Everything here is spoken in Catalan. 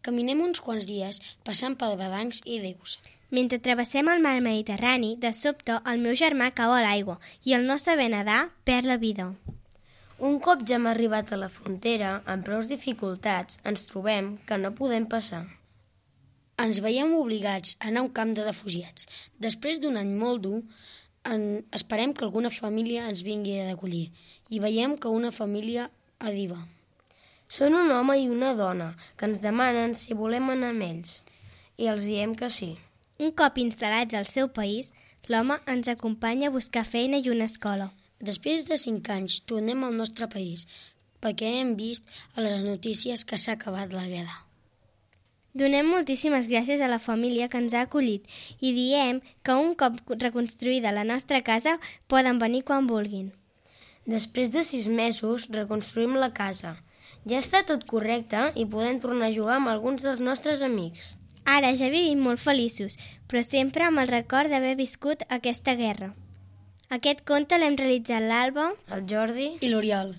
Caminem uns quants dies, passant per barrancs i rius. Mentre travessem el mar Mediterrani, de sobte el meu germà cau a l'aigua i el no saber nedar perd la vida. Un cop ja hem arribat a la frontera, amb prous dificultats, ens trobem que no podem passar. Ens veiem obligats a anar a un camp de refugiats. Després d'un any molt dur, esperem que alguna família ens vingui a acollir i veiem que una família arriba. Són un home i una dona que ens demanen si volem anar amb ells i els diem que sí. Un cop instal·lats al seu país, l'home ens acompanya a buscar feina i una escola. Després de 5 anys tornem al nostre país perquè hem vist a les notícies que s'ha acabat la guerra. Donem moltíssimes gràcies a la família que ens ha acollit i diem que un cop reconstruïda la nostra casa poden venir quan vulguin. Després de 6 mesos reconstruïm la casa. Ja està tot correcte i podem tornar a jugar amb alguns dels nostres amics. Ara ja vivim molt feliços, però sempre amb el record d'haver viscut aquesta guerra. Aquest conte l'hem realitzat l'Alba, El Jordi I l'Oriol.